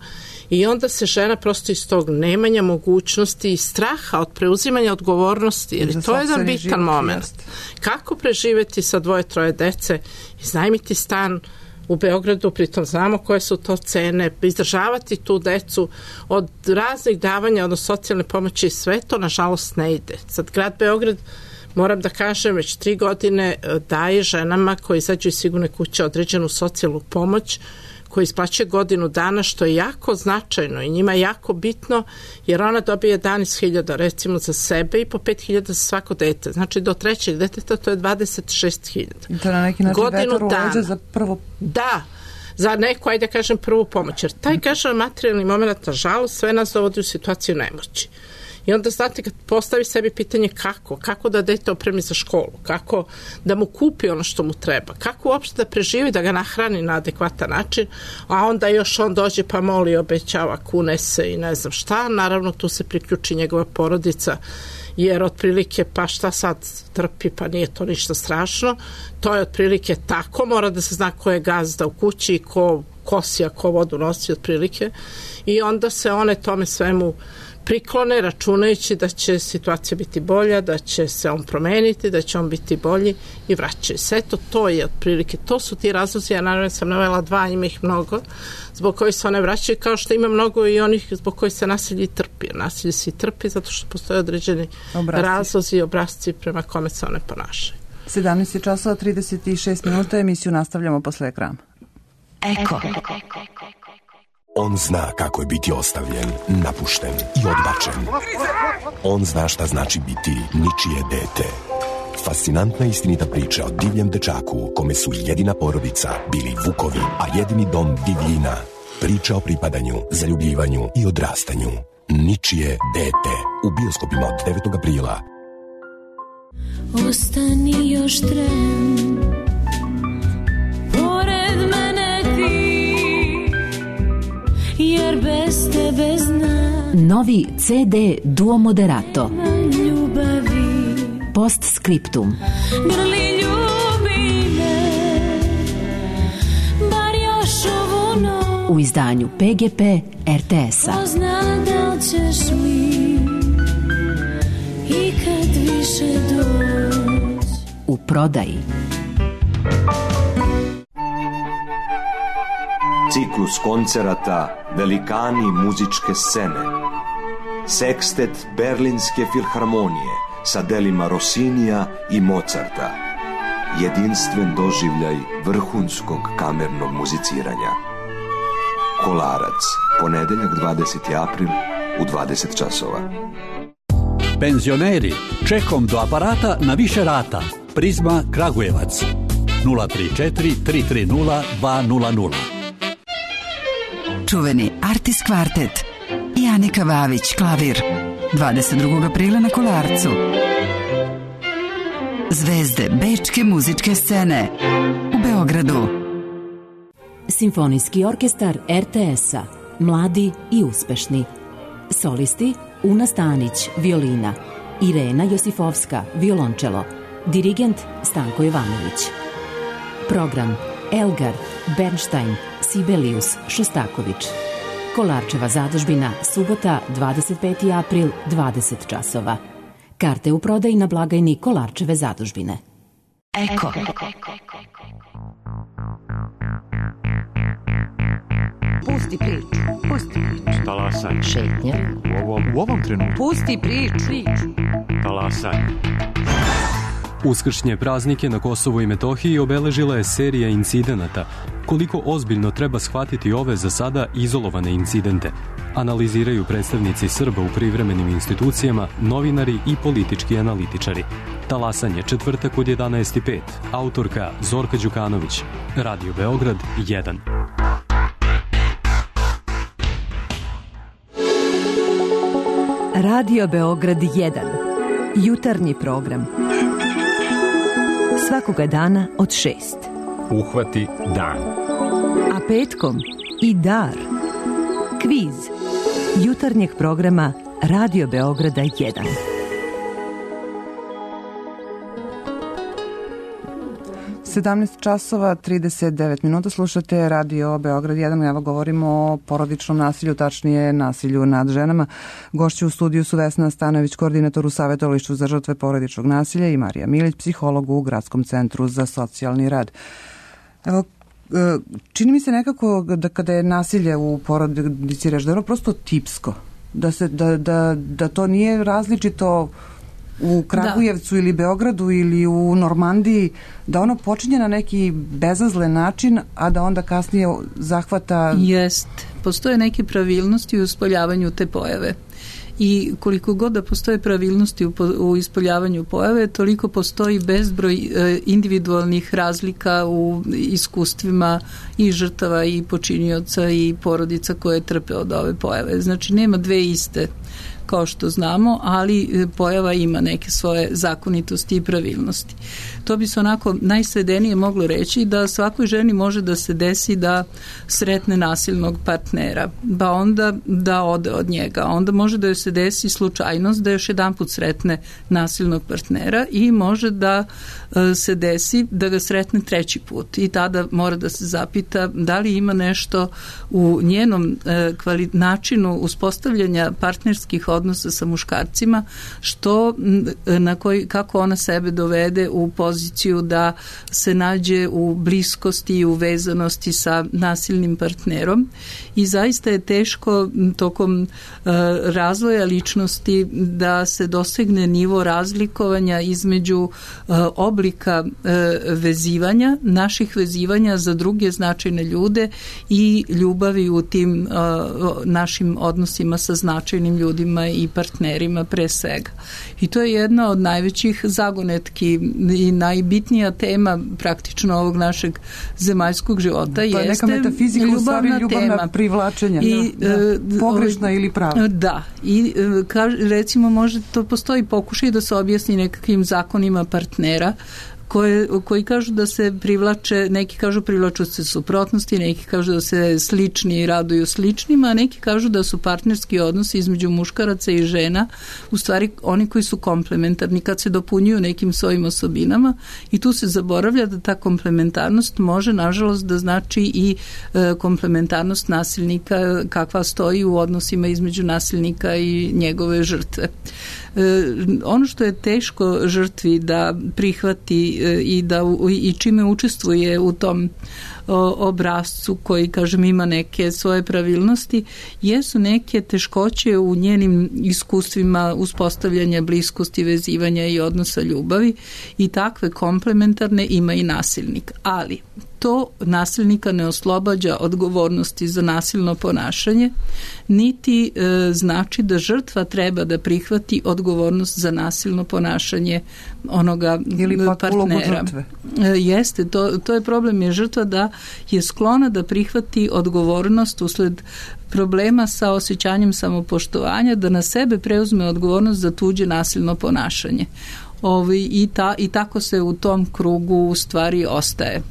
I onda se žena prosto iz tog nemanja mogućnosti i straha od preuzimanja odgovornosti, jer to je jedan bitan moment. Kako preživeti sa 2-3 dece, iznajmiti stan u Beogradu, pritom znamo koje su to cene, izdržavati tu decu od raznih davanja, odnosno socijalne pomoći, sve to nažalost ne ide. Sad grad Beograd moram da kažem, već 3 godine daje ženama koji izađu iz sigurne kuće određenu socijalnu pomoć koji isplaćuje godinu dana, što je jako značajno i njima je jako bitno, jer ona dobije 11.000 recimo za sebe i po 5.000 za svako dete. Znači do 3. deteta to je 26.000. I to na neki način vetar u leđa za prvo... Da, za neku, ajde kažem, prvu pomoć. Jer taj, kažem, materijalni moment, nažalost, sve nas dovodi u situaciju nemoći. I onda, znate, kad postavi sebi pitanje kako da dete opremi za školu, kako da mu kupi ono što mu treba, kako uopšte da preživi, da ga nahrani na adekvatan način, a onda još on dođe pa moli, obećava, kune se i ne znam šta. Naravno, tu se priključi njegova porodica, jer otprilike pa šta sad trpi, pa nije to ništa strašno. To je otprilike tako, mora da se zna ko je gazda u kući, ko kosi, a ko vodu nosi otprilike. I onda se one tome svemu priklone, računajući da će situacija biti bolja, da će se on promeniti, da će on biti bolji i vraćaju se. Eto, to je otprilike, to su ti razlozi, ja naravno sam navela 2, ima ih mnogo, zbog kojih se one vraćaju, kao što ima mnogo i onih zbog kojih se nasilje trpi. Nasilje se trpi zato što postoje određeni razlozi i obrazci prema kome se one ponašaju. 17 časova 36 minuta, emisiju nastavljamo posle ekrana. Eko. On zna kako je biti ostavljen, napušten i odbačen. On zna šta znači biti ničije dete. Fascinantna i istinita priča o divljem dečaku kome su jedina porodica bili vukovi, a jedini dom divljina. Priča o pripadanju, zaljubljivanju i odrastanju. Ničije dete. U bioskopima od 9. aprila. Ostani još tren, pored mene ti, jer bez tebe znam. Novi CD Duo Moderato. Ljubavi. Postscriptum. Grli ljubi me, bar još ovu noć. U izdanju PGP RTS-a. Ko zna da li ćeš mi i kad više doć. U prodaji. Ciklus koncerata Velikani muzičke scene. Sekstet Berlinske filharmonije sa delima Rossinija i Mozarta. Jedinstven doživljaj vrhunskog kamernog muziciranja. Kolarac, ponedeljak 20. april u 20 časova. Penzioneri, čekom do aparata na više rata. Prizma Kragujevac 034 330 200. Čuveni Artis kvartet i Anika Vavić klavir 22. aprila na Kolarcu. Zvezde bečke muzičke scene u Beogradu. Simfonijski orkestar RTS-a. Mladi i uspešni. Solisti Una Stanić, violina. Irena Josifovska, violončelo. Dirigent Stanko Jovanović. Program Elgar, Bernstein, Sibelius, Šostaković. Kolarčeva zadužbina, subota, 25. april, 20 časova. Karte u prodaji na blagajni Kolarčeve zadužbine. Eko. Pusti priču, pusti priču. Talasanje. Šetnja. U ovom trenutku. Pusti priču. Talasanje. Uskršnje praznike na Kosovu i Metohiji obeležila je serija incidenata. Koliko ozbiljno treba shvatiti ove za sada izolovane incidente? Analiziraju predstavnici Srba u privremenim institucijama, novinari i politički analitičari. Talasanje, četvrtak od 11:05. Autorka Zorka Đukanović. Radio Beograd 1. Radio Beograd 1. Jutarnji program. Svakoga dana od 6. Uhvati dan. A petkom i dar. Kviz jutarnjeg programa Radio Beograda 1. časova 39 minuta, slušate Radio Beograd 1. Evo govorimo o porodičnom nasilju, tačnije nasilju nad ženama. Gošći u studiju su Vesna Stanojević, koordinator u Savjetovalištu za žrtve porodičnog nasilja, i Marija Milić, psiholog u Gradskom centru za socijalni rad. Evo, čini mi se nekako da kada je nasilje u porodici, da je ono prosto tipsko, da to nije različito u Kragujevcu ili Beogradu ili u Normandiji, da ono počinje na neki bezazlen način, a da onda kasnije zahvata... Postoje neke pravilnosti u ispoljavanju te pojave. I koliko god da postoje pravilnosti u ispoljavanju pojave, toliko postoji bezbroj individualnih razlika u iskustvima i žrtava i počinioca i porodica koje trpe od ove pojave. Znači, nema dve iste, kao što znamo, ali pojava ima neke svoje zakonitosti i pravilnosti. To bi se onako najsvedenije moglo reći da svakoj ženi može da se desi da sretne nasilnog partnera, pa onda da ode od njega. Onda može da joj se desi slučajnost da još jedan put sretne nasilnog partnera i može da se desi da ga sretne treći put. I tada mora da se zapita da li ima nešto u njenom načinu uspostavljanja partnerskih odnosa sa muškarcima, kako ona sebe dovede u poziciju da se nađe u bliskosti i uvezanosti sa nasilnim partnerom. I zaista je teško tokom razvoja ličnosti da se dosegne nivo razlikovanja između oblika vezivanja, naših vezivanja za druge značajne ljude i ljubavi u tim našim odnosima sa značajnim ljudima i partnerima pre svega. I to je jedna od najvećih zagonetki i najbitnija tema praktično ovog našeg zemaljskog života. To je neka metafizika, u stvari ljubavna privlačenja, pogrešna ili prava. Da, i recimo može to postoji pokušaj da se objasni nekakvim zakonima partnera koji kažu da se privlače, neki kažu privlaču se suprotnosti, neki kažu da se slični raduju sličnima, a neki kažu da su partnerski odnosi između muškaraca i žena u stvari oni koji su komplementarni kad se dopunjuju nekim svojim osobinama i tu se zaboravlja da ta komplementarnost može nažalost da znači i komplementarnost nasilnika kakva stoji u odnosima između nasilnika i njegove žrtve. Ono što je teško žrtvi da prihvati i čime učestvuje u tom obrascu koji, kažem, ima neke svoje pravilnosti, jesu neke teškoće u njenim iskustvima uspostavljanja bliskosti, vezivanja i odnosa ljubavi i takve komplementarne ima i nasilnik. Ali to nasilnika ne oslobađa odgovornosti za nasilno ponašanje, niti znači da žrtva treba da prihvati odgovornost za nasilno ponašanje onoga partnera. Jeste, to je problem, je žrtva da je sklona da prihvati odgovornost usled problema sa osjećanjem samopoštovanja, da na sebe preuzme odgovornost za tuđe nasilno ponašanje. I tako se u tom krugu u stvari ostaje.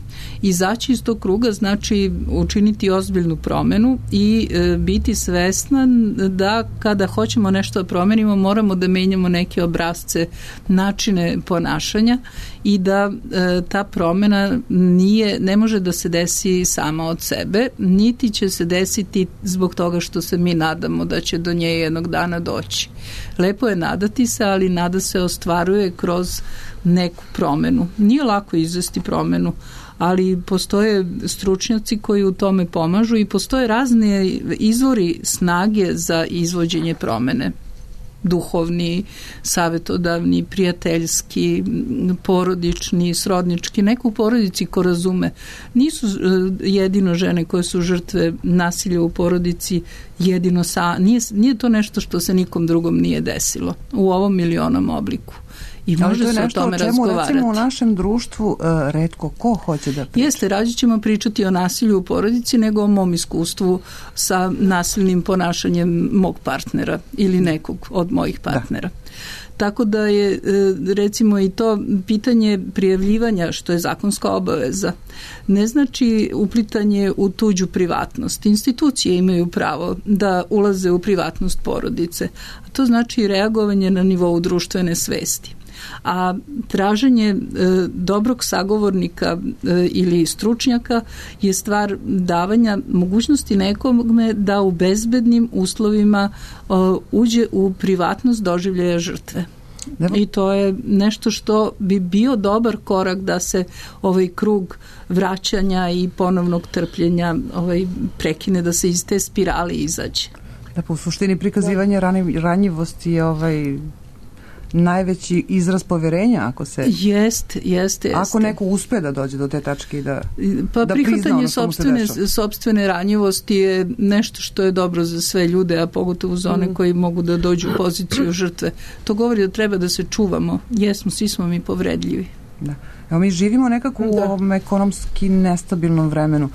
Izaći iz tog kruga znači učiniti ozbiljnu promenu i biti svestan da kada hoćemo nešto da promenimo moramo da menjamo neke obrasce, načine ponašanja i da ta promena ne može da se desi sama od sebe, niti će se desiti zbog toga što se mi nadamo da će do nje jednog dana doći. Lepo je nadati se, ali nada se ostvaruje kroz neku promenu. Nije lako izvesti promenu, ali postoje stručnjaci koji u tome pomažu i postoje razne izvori snage za izvođenje promene. Duhovni, savjetodavni, prijateljski, porodični, srodnički, neko u porodici ko razume. Nisu jedino žene koje su žrtve nasilja u porodici jedino nije to nešto što se nikom drugom nije desilo u ovom ili onom obliku. I može se o tome razgovarati. To je nešto o čemu recimo u našem društvu retko ko hoće da priča. Jeste, rađe ćemo pričati o nasilju u porodici nego o mom iskustvu sa nasilnim ponašanjem mog partnera ili nekog od mojih partnera. Da. Tako da je recimo i to pitanje prijavljivanja, što je zakonska obaveza, ne znači uplitanje u tuđu privatnost. Institucije imaju pravo da ulaze u privatnost porodice. A to znači reagovanje na nivou društvene svesti. A traženje dobrog sagovornika ili stručnjaka je stvar davanja mogućnosti nekome da u bezbednim uslovima uđe u privatnost doživljaja žrtve. I to je nešto što bi bio dobar korak da se ovaj krug vraćanja i ponovnog trpljenja prekine, da se iz te spirale izađe. Da, po suštini prikazivanje ranjivosti je najveći izraz poverenja ako se... Jeste. Ako neko uspe da dođe do te tačke i da prihvatanje sopstvene ranjivosti je nešto što je dobro za sve ljude, a pogotovo za one koji mogu da dođu u poziciju žrtve. To govori da treba da se čuvamo. Jesmo, svi smo mi povredljivi. Da. Evo, mi živimo nekako u ovom ekonomski nestabilnom vremenu.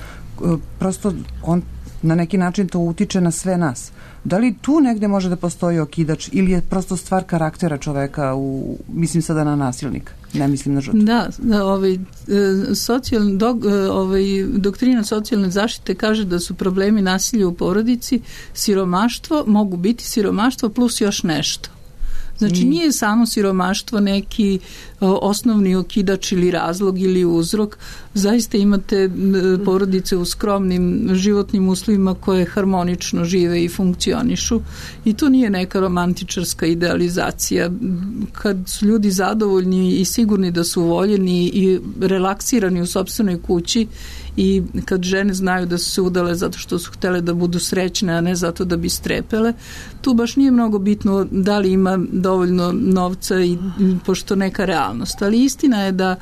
Prosto on na neki način to utiče na sve nas. Da li tu negde može da postoji okidač ili je prosto stvar karaktera čoveka, mislim sada na nasilnika, ne mislim na žrtvu? Da, doktrina socijalne zaštite kaže da su problemi nasilja u porodici siromaštvo, mogu biti siromaštvo plus još nešto. Znači nije samo siromaštvo neki osnovni okidač ili razlog ili uzrok. Zaista imate porodice u skromnim životnim uslovima koje harmonično žive i funkcionišu i to nije neka romantičarska idealizacija. Kad su ljudi zadovoljni i sigurni da su voljeni i relaksirani u sopstvenoj kući i kad žene znaju da su se udale zato što su htele da budu srećne, a ne zato da bi strepele, tu baš nije mnogo bitno da li ima dovoljno novca i pošto neka realnost. Ali istina je da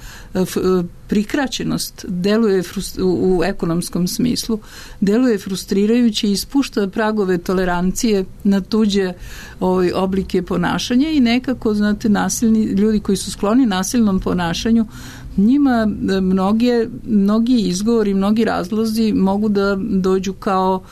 prikraćenost deluje u ekonomskom smislu, deluje frustrirajuće i ispušta pragove tolerancije na tuđe oblike ponašanja i nekako, znate, ljudi koji su skloni nasilnom ponašanju, njima mnogi izgovori, mnogi razlozi mogu da dođu kao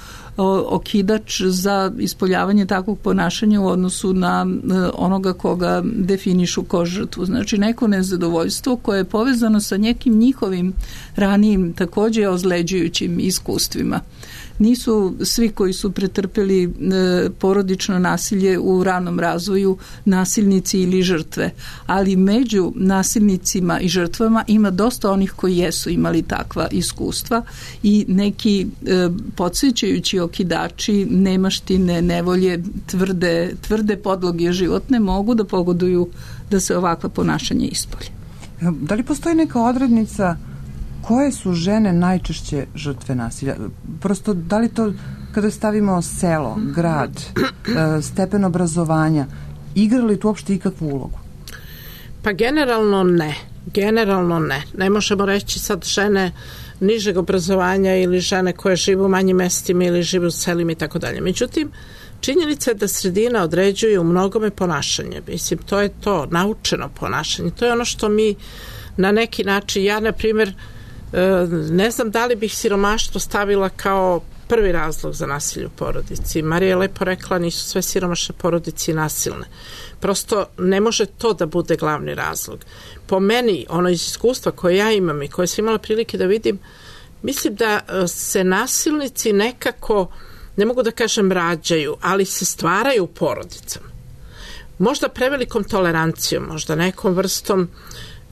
okidač za ispoljavanje takvog ponašanja u odnosu na onoga koga definišu kao žrtvu. Znači neko nezadovoljstvo koje je povezano sa nekim njihovim ranijim takođe ozleđujućim iskustvima. Nisu svi koji su pretrpeli porodično nasilje u ranom razvoju nasilnici ili žrtve, ali među nasilnicima i žrtvama ima dosta onih koji jesu imali takva iskustva i neki podsjećajući okidači, nemaštine, nevolje, tvrde podloge životne mogu da pogoduju da se ovakva ponašanja ispolje. Da li postoji neka odrednica koje su žene najčešće žrtve nasilja? Prosto, da li to, kada stavimo selo, grad, stepen obrazovanja, igra li tu uopšte ikakvu ulogu? Pa generalno ne. Ne možemo reći sad žene nižeg obrazovanja ili žene koje žive u manjim mestima ili žive u selima i tako dalje. Međutim, činjenica je da sredina određuje u mnogome ponašanje. Mislim, to je to, naučeno ponašanje. To je ono što mi na neki način, ja na primjer, ne znam da li bih siromaštvo stavila kao prvi razlog za nasilje u porodici. Marija je lepo rekla, nisu sve siromašne porodice nasilne. Prosto ne može to da bude glavni razlog. Po meni, ono iz iskustva koje ja imam i koje sam imala prilike da vidim, mislim da se nasilnici nekako, ne mogu da kažem rađaju, ali se stvaraju u porodicama. Možda prevelikom tolerancijom, možda nekom vrstom,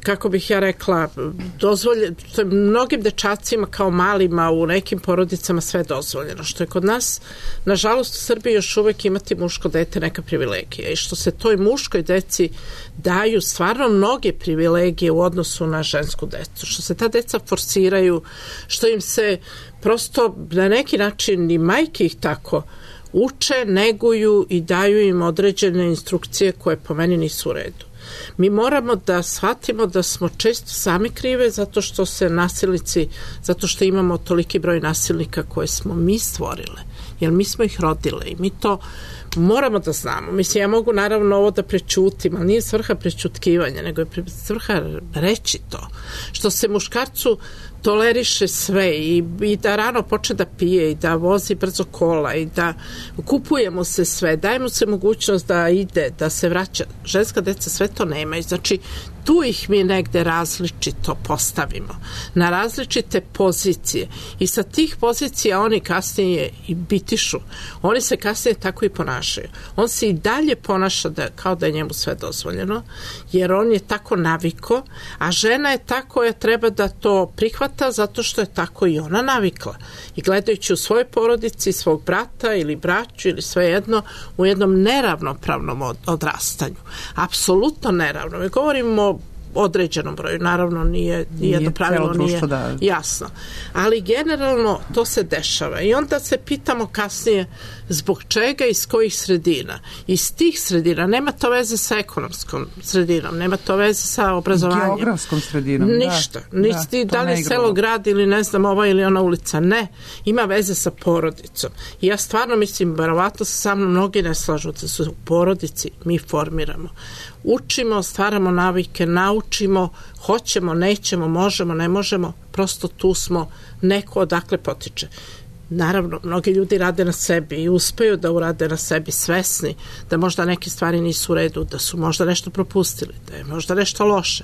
kako bih ja rekla, to je mnogim dečacima kao malima u nekim porodicama sve dozvoljeno, što je kod nas, nažalost u Srbiji još uvek imati muško dete neka privilegija i što se toj muškoj deci daju stvarno mnoge privilegije u odnosu na žensku decu, što se ta deca forsiraju, što im se prosto na neki način i majke ih tako uče, neguju i daju im određene instrukcije koje po meni nisu u redu. Mi moramo da shvatimo da smo često sami krive zato što se nasilnici, zato što imamo toliki broj nasilnika koje smo mi stvorile, jer mi smo ih rodile i mi to moramo da znamo. Mislim, ja mogu naravno ovo da prećutim, ali nije svrha prećutkivanja, nego je svrha reći to. Što se muškarcu toleriše sve i da rano počne da pije i da vozi brzo kola i da kupujemo se sve, dajemo se mogućnost da ide, da se vraća. Ženska deca sve to nemaju. Znači, tu ih mi negde različito postavimo, na različite pozicije i sa tih pozicija oni kasnije i bitišu. Oni se kasnije tako i ponašaju. On se i dalje ponaša kao da je njemu sve dozvoljeno, jer on je tako naviko, a žena je ta koja treba da to prihvata zato što je tako i ona navikla. I gledajući u svojoj porodici svog brata ili braću ili svejedno u jednom neravnopravnom odrastanju. Apsolutno neravno. Mi govorimo određenom broju, naravno nije do pravilo, nije jasno. Ali generalno to se dešava i onda se pitamo kasnije zbog čega, iz kojih sredina. Iz tih sredina, nema to veze sa ekonomskom sredinom, nema to veze sa obrazovanjem. Geografskom sredinom. Ništa. Da li je selo, grad ili ne znam ova ili ona ulica. Ne. Ima veze sa porodicom. I ja stvarno mislim, verovatno se sa mnom mnogi ne slažu da su u porodici mi formiramo. Učimo, stvaramo navike, naučimo, hoćemo, nećemo, možemo, ne možemo, prosto tu smo, neko odakle potiče. Naravno, mnogi ljudi rade na sebi i uspeju da urade na sebi, svesni da možda neke stvari nisu u redu, da su možda nešto propustili, da je možda nešto loše,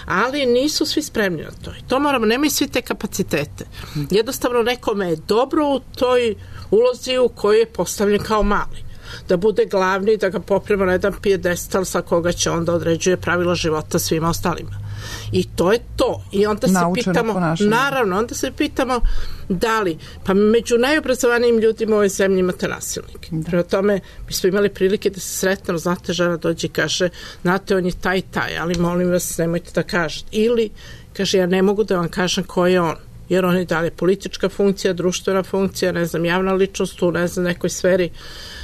ali nisu svi spremni na to i to moramo, nemaju svi te kapacitete. Jednostavno nekome je dobro u toj ulozi u kojoj je postavljen kao mali, da bude glavni, da ga poprema na jedan pijedestal sa koga će onda određuje pravila života svima ostalima. I to je to. I onda se pitamo, naravno, onda se pitamo da li, pa među najobrazovanijim ljudima u ovoj zemlji imate nasilnike. Prema tome, mi smo imali prilike da se sretno, znate, žena dođe i kaže, znate, on je taj, ali molim vas, nemojte da kažete. Ili, kaže, ja ne mogu da vam kažem ko je on, jer on je dalje politička funkcija, društvena funkcija, ne znam, javna ličnost u, ne znam, nekoj sferi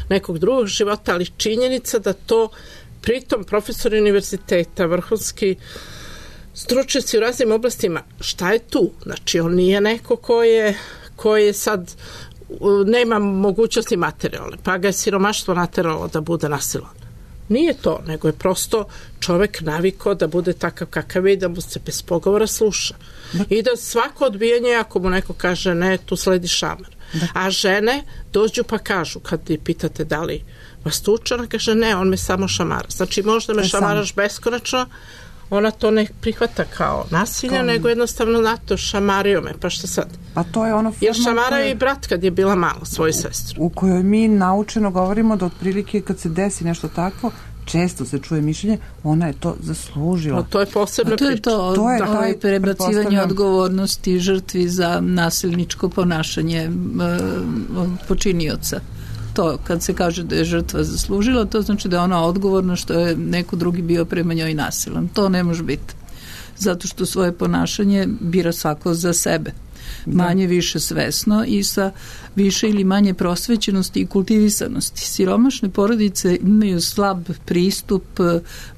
nekog drugog života, ali činjenica da to, pritom profesori univerziteta, vrhunski stručnjaci u raznim oblastima, šta je tu? Znači, on nije neko ko je sad nema mogućnosti materijalne, pa ga je siromaštvo nateralo da bude nasilan. Nije to, nego je prosto čovek navikao da bude takav kakav je i da mu se bez pogovora sluša. I da svako odbijanje, ako mu neko kaže ne, tu sledi šamar. A žene dođu pa kažu, kad ti pitate da li vas tuče, ona kaže ne, on me samo šamara. Znači, možda me šamaraš beskonačno, ona to ne prihvata kao nasilje, nego jednostavno nato šamario me, pa šta sad? Pa to je ono forma, jer šamarao i brat kad je bila mala svoju sestru. U kojoj mi naučeno govorimo da otprilike kad se desi nešto takvo, često se čuje mišljenje, ona je to zaslužila. To je posebna priča. To je prebacivanje odgovornosti žrtvi za nasilničko ponašanje počinioca. To, kad se kaže da je žrtva zaslužila, to znači da je ona odgovorna što je neko drugi bio prema njoj nasilan. To ne može biti. Zato što svoje ponašanje bira svako za sebe. Manje više svesno i sa više ili manje prosvećenosti i kultivisanosti. Siromašne porodice imaju slab pristup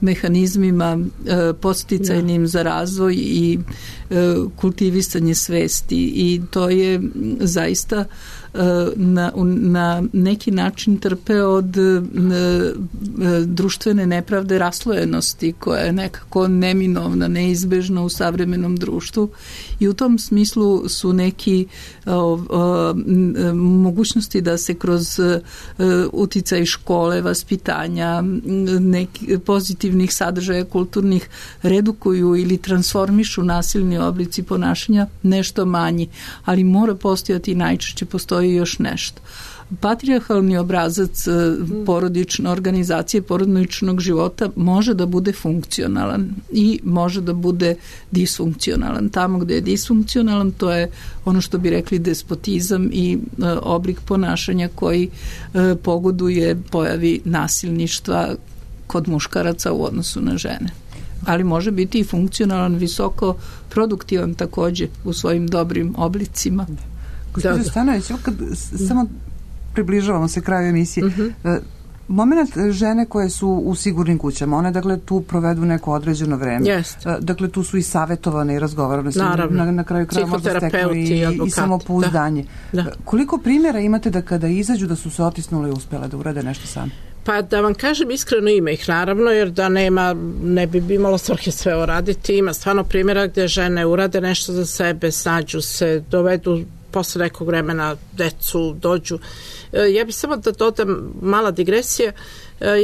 mehanizmima podsticajnim za razvoj i kultivisanje svesti i to je zaista na neki način trpe od društvene nepravde raslojenosti koja je nekako neminovna, neizbežna u savremenom društvu i u tom smislu su neki mogućnosti da se kroz uticaj škole, vaspitanja, pozitivnih sadržaja kulturnih redukuju ili transformišu nasilni oblici ponašanja nešto manji, ali mora postojati i najčešće postoji još nešto. Patrijarhalni obrazac porodične organizacije porodičnog života može da bude funkcionalan i može da bude disfunkcionalan. Tamo gde je disfunkcionalan, to je ono što bi rekli despotizam i oblik ponašanja koji pogoduje pojavi nasilništva kod muškaraca u odnosu na žene. Ali može biti i funkcionalan, visoko produktivan takođe u svojim dobrim oblicima. Gospođo Stanović, kad samo približavamo se kraju emisije, moment žene koje su u sigurnim kućama, one dakle tu provedu neko određeno vreme. Dakle tu su i savjetovane i razgovarane su na kraju kraja možda steknu i samopouzdanje. Koliko primjera imate da kada izađu da su se otisnule i uspjele da urade nešto same? Pa da vam kažem iskreno, ima ih naravno, jer da nema, ne bi imalo svrhe sve uraditi. Ima stvarno primjera gdje žene urade nešto za sebe, snađu se, dovedu posle nekog vremena decu, dođu. Ja bih samo da dodam mala digresija.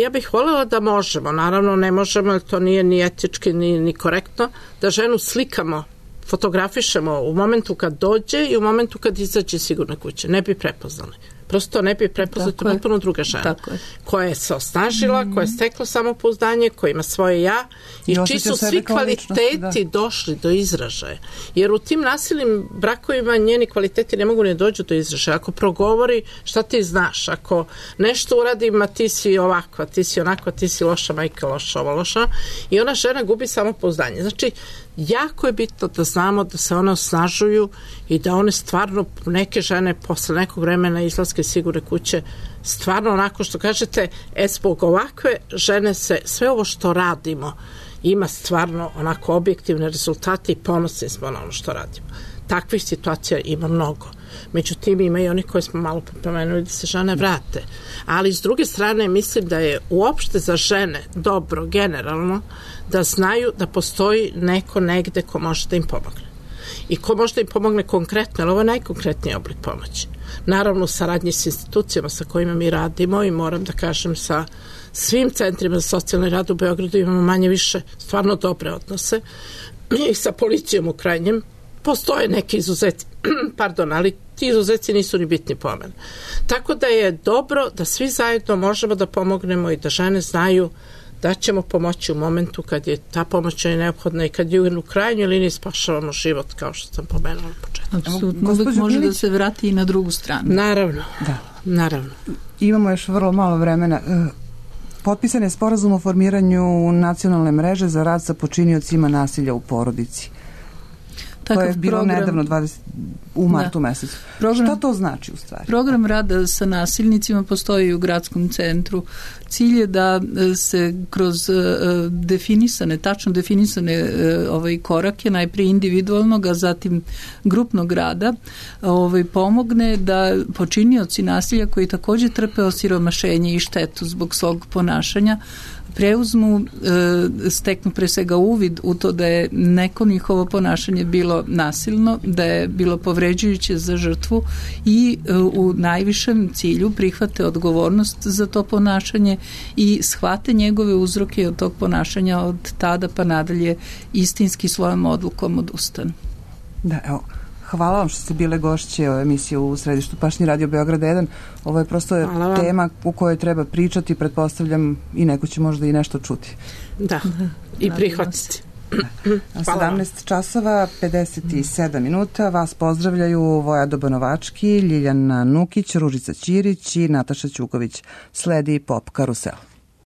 Ja bih voljela da možemo, naravno ne možemo, jer to nije ni etički ni korektno, da ženu slikamo, fotografišemo u momentu kad dođe i u momentu kad izađe sigurne kuće. Ne bi prepoznali. prosto ne bi prepoznati potpuno druga žena koja je se osnažila, koja je stekla samopouzdanje, koja ima svoje ja i čiji su svi kvaliteti došli do izražaja. Jer u tim nasilnim brakovima njeni kvaliteti ne mogu ne dođu do izražaja. Ako progovori šta ti znaš, ako nešto uradim, a ti si ovakva, ti si onakva, ti si loša majka, loša ova, loša, i ona žena gubi samopouzdanje. Znači, jako je bitno da znamo da se one osnažuju i da one stvarno, neke žene posle nekog vremena izlaske iz sigurne kuće, stvarno onako što kažete, zbog ovakve žene se sve ovo što radimo ima stvarno onako objektivne rezultate i ponosni smo na ono što radimo. Takvih situacija ima mnogo. Međutim, ima i oni koje smo malo pomenuli da se žene vrate. Ali s druge strane mislim da je uopšte za žene dobro, generalno, da znaju da postoji neko negde ko može da im pomogne. I ko može da im pomogne konkretno, ali ovo je najkonkretniji oblik pomoći. Naravno, u saradnji s institucijama sa kojima mi radimo i moram da kažem sa svim centrima za socijalni rad u Beogradu imamo manje više stvarno dobre odnose i sa policijom u krajnjem. Postoje neki izuzeci, ali ti izuzeci nisu ni bitni po mene. Tako da je dobro da svi zajedno možemo da pomognemo i da žene znaju da ćemo pomoći u momentu kad je ta pomoć neophodna i kad je u krajnjoj liniji spašavamo život, kao što sam pomenula na početku. Apsolutno, uvek može da se vrati i na drugu stranu. Naravno. Imamo još vrlo malo vremena. Potpisan je sporazum o formiranju nacionalne mreže za rad sa počiniocima nasilja u porodici. To je bilo nedavno u martu mesecu. Šta to znači u stvari? Program rada sa nasilnicima postoji u gradskom centru. Cilj je da se kroz tačno definisane korake, najprije individualnog, a zatim grupnog rada, pomogne da počinioci nasilja koji također trpe osiromašenje i štetu zbog svog ponašanja preuzmu, steknu pre svega uvid u to da je neko njihovo ponašanje bilo nasilno, da je bilo povređujuće za žrtvu i u najvišem cilju prihvate odgovornost za to ponašanje i shvate njegove uzroke od tog ponašanja od tada pa nadalje istinski svojom odlukom odustanu. Da, evo. Hvala vam što ste bile gošće ove emisije u središtu Pašnji radio Beograda 1. Ovo je prosto tema u kojoj treba pričati, pretpostavljam i neko će možda i nešto čuti. Da, i prihvatiti. 17 časova, 57 minuta. Vas pozdravljaju Voja Dobanovački, Ljiljana Nukić, Ružica Ćirić i Nataša Ćuković. Sledi Pop Karusel.